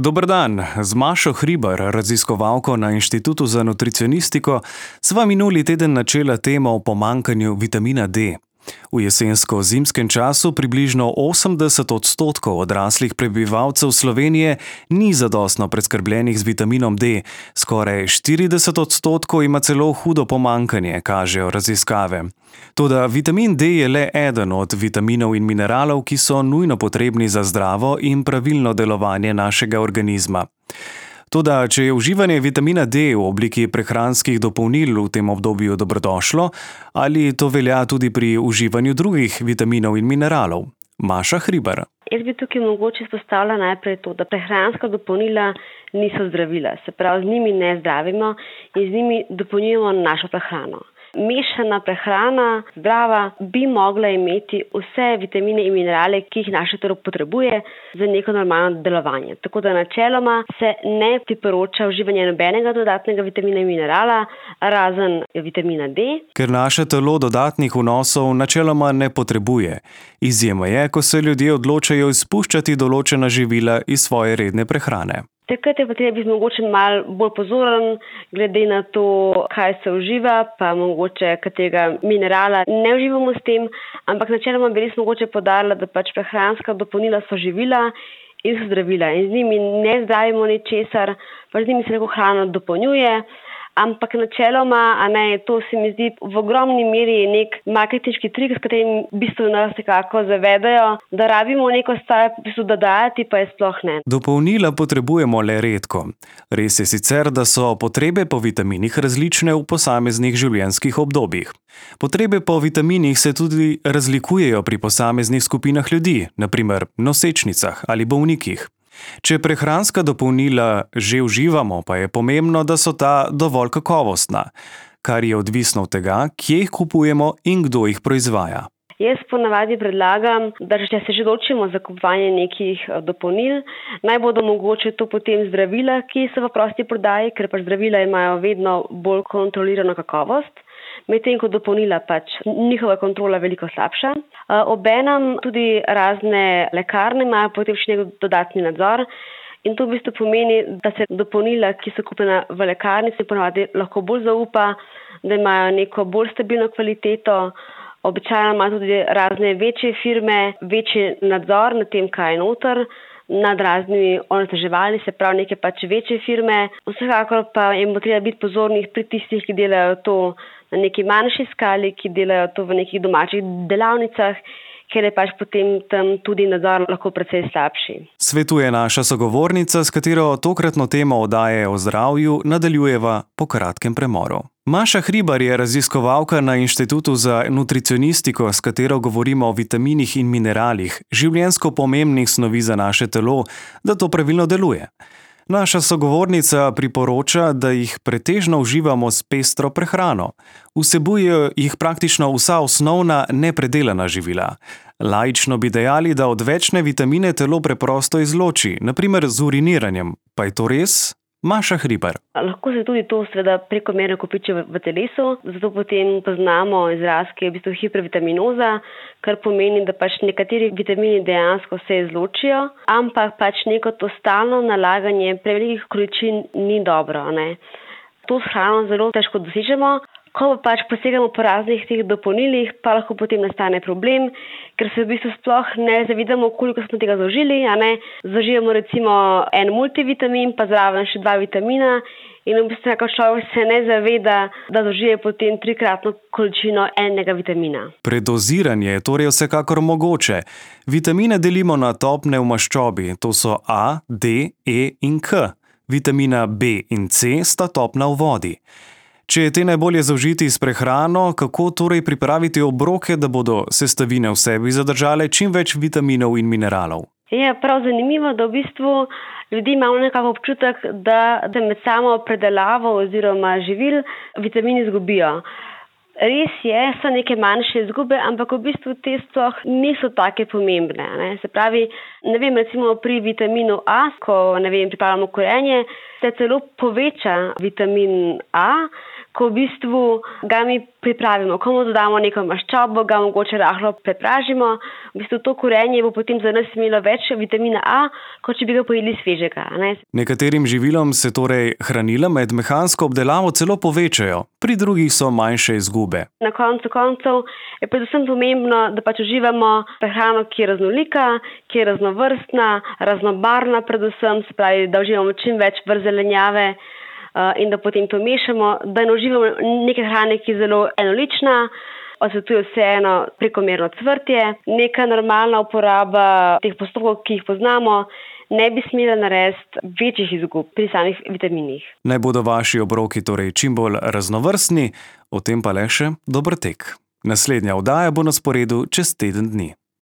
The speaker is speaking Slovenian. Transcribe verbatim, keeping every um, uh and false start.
Dober dan, z Mašo Hribar, raziskovalko na Inštitutu za nutricionistiko, sva minuli teden načela temo o pomanjkanju vitamina D. V jesensko-zimskem času približno osemdeset odstotkov odraslih prebivalcev Slovenije ni zadostno preskrbljenih z vitaminom D, skoraj štirideset odstotkov ima celo hudo pomanjkanje, kažejo raziskave. Toda vitamin D je le eden od vitaminov in mineralov, ki so nujno potrebni za zdravo in pravilno delovanje našega organizma. Toda, če je uživanje vitamina D v obliki prehranskih dopolnil v tem obdobju dobrodošlo, ali to velja tudi pri uživanju drugih vitaminov in mineralov? Maša Hribar. Jaz bi tukaj mogoče izpostavila najprej to, da prehranska dopolnila niso zdravila, se pravi, z njimi ne zdravimo in z njimi dopolnjujemo našo prehrano. Mešana prehrana, zdrava, bi mogla imeti vse vitamine in minerale, ki jih naše telo potrebuje za neko normalno delovanje. Tako da načeloma se ne priporoča uživanje nobenega dodatnega vitamina in minerala, razen vitamina D. Ker naše telo dodatnih vnosov načeloma ne potrebuje. Izjema je, ko se ljudje odločajo izpuščati določena živila iz svoje redne prehrane. Takrat je pa treba biti mogoče malo bolj pozoren, glede na to, kaj se uživa, pa mogoče katerega minerala ne uživamo s tem, ampak načeloma bi res mogoče poudarila, da pač prehranska dopolnila so živila in so zdravila in z njimi ne zdravimo ničesar, pač z njimi se lahko hrana dopolnjuje. Ampak načeloma, a ne, to se mi zdi v ogromni meri nek marketinški trik, s katerim v bistvu nas nekako zavedajo, da rabimo neko stvar v bistvu dodajati, pa je sploh ne. Dopolnila potrebujemo le redko. Res je sicer, da so potrebe po vitaminih različne v posameznih življenjskih obdobjih. Potrebe po vitaminih se tudi razlikujejo pri posameznih skupinah ljudi, na primer nosečnicah ali bolnikih. Če prehranska dopolnila že uživamo, pa je pomembno, da so ta dovolj kakovostna, kar je odvisno od tega, kje jih kupujemo in kdo jih proizvaja. Jaz ponavadi predlagam, da če se že odločimo za kupovanje nekih dopolnil, naj bodo mogoče to potem zdravila, ki so v prosti prodaji, ker pač zdravila imajo vedno bolj kontrolirano kakovost, medtem ko dopolnila pač njihova kontrola veliko slabša. Obenem tudi razne lekarne imajo potem še nek dodatni nadzor in to v bistvu pomeni, da se dopolnila, ki so kupljena v lekarni, se ponavadi lahko bolj zaupa, da imajo neko bolj stabilno kvaliteto. Običajno imajo tudi razne večje firme, večji nadzor nad tem, kaj je noter, nad raznimi onesnaževali, se pravi neke pač večje firme. Vsekakor pa jim bo treba biti pozornih pri tistih, ki delajo to na neki manjši skali, ki delajo to v nekih domačih delavnicah, ker je pač potem tam tudi nadzor lahko precej slabši. Svetuje naša sogovornica, s katero tokratno temo oddaje o zdravju nadaljujeva po kratkem premoru. Maša Hribar je raziskovalka na Inštitutu za nutricionistiko, s katero govorimo o vitaminih in mineralih, življenjsko pomembnih snovi za naše telo, da to pravilno deluje. Naša sogovornica priporoča, da jih pretežno uživamo s pestro prehrano. Vsebujejo jih praktično vsa osnovna nepredelana živila. Laično bi dejali, da odvečne vitamine telo preprosto izloči, na primer z uriniranjem. Pa je to res? Maša Hribar. Lahko se tudi to seveda prekomerno kopiči v, v telesu, zato potem poznamo izraz, ki je v bistvu hipervitaminoza, kar pomeni, da pač nekateri vitamini dejansko se izločijo, ampak pač neko to stalno nalaganje prevelikih količin ni dobro, ne. To s hrano zelo težko dosežemo. Ko pa pač posegamo po raznih teh dopolnilih, pa lahko potem nastane problem, ker se v bistvu sploh ne zavedamo, koliko smo tega zaužili, a ne. Zaužijemo recimo en multivitamin, pa zraven še dva vitamina in v bistvu nekako človek se ne zaveda, da zaužije potem trikratno količino enega vitamina. Predoziranje je torej vsekakor mogoče. Vitamine delimo na topne v maščobi, to so A, D, E in K. Vitamina B in C sta topna v vodi. Če je te najbolje zaužiti s prehrano, kako torej pripraviti obroke, da bodo sestavine v sebi zadržale čim več vitaminov in mineralov? Je prav zanimivo, da v bistvu ljudi imamo nekako občutek, da se med samo predelavo oziroma živil vitamini izgubijo. Res je, so neke manjše izgube, ampak v bistvu te sploh niso take pomembne. Ne? Se pravi, ne vem, recimo pri vitaminu A, ko ne vem, pripravljamo korenje, se celo poveča vitamin A, ko v bistvu ga mi pripravimo, ko mu dodamo neko maščobo, ga mogoče rahlo prepražimo. V bistvu to korenje bo potem za nas imelo več vitamina A, kot če bi ga pojedli svežega. Ne? Nekaterim živilom se torej hranila med mehansko obdelavo celo povečajo, pri drugih so manjše izgube. Na koncu koncev je predvsem pomembno, da pač uživamo prehrano, ki je raznolika, ki je raznovrstna, raznobarvna predvsem, se pravi, da uživamo čim več vrst zelenjave in da potem to mešamo, da ne uživamo neke hrane, ki je zelo enolična, odsvetuje vseeno prekomerno cvrtje, neka normalna uporaba teh postopkov, ki jih poznamo, ne bi smela narediti večjih izgub pri samih vitaminih. Naj bodo vaši obroki torej čim bolj raznovrstni, o tem pa le še dober tek. Naslednja oddaja bo na sporedu čez teden dni.